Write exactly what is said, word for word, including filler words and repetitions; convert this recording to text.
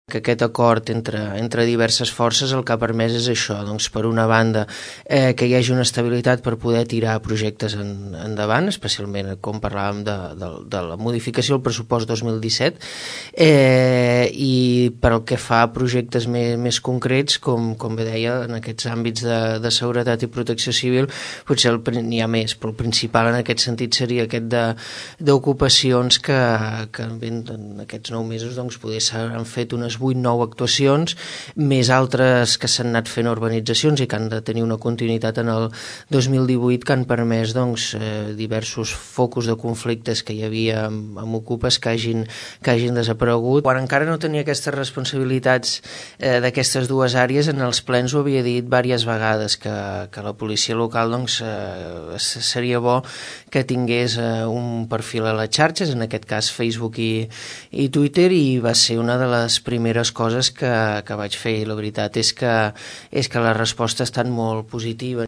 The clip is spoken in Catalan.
que aquest acord entre, entre diverses forces el que ha permès és això, doncs per una banda eh, que hi hagi una estabilitat per poder tirar projectes en, endavant, especialment com parlàvem de, de, de la modificació del pressupost dos mil disset, eh, i per el que fa a projectes més, més concrets, com, com bé deia, en aquests àmbits de, de seguretat i protecció civil, potser n'hi ha més, però el principal en aquest sentit seria aquest d'ocupacions que, que en aquests nou mesos doncs, poder s'han fet unes vuit nou actuacions, més altres que s'han anat fent urbanitzacions i que han de tenir una continuïtat en el dos mil divuit que han permès doncs, eh, diversos focus de conflictes que hi havia amb, amb ocupes que hagin, que hagin desaparegut. Quan encara no tenia aquestes responsabilitats eh, d'aquestes dues àrees, en els plens ho havia dit diverses vegades que, que la policia local doncs, eh, seria bo que tingués eh, un perfil a les xarxes, en aquest cas Facebook i, i Twitter, i va ser una de les primeres coses que, que vaig fer, i la veritat és que, és que la resposta ha estat molt positiva.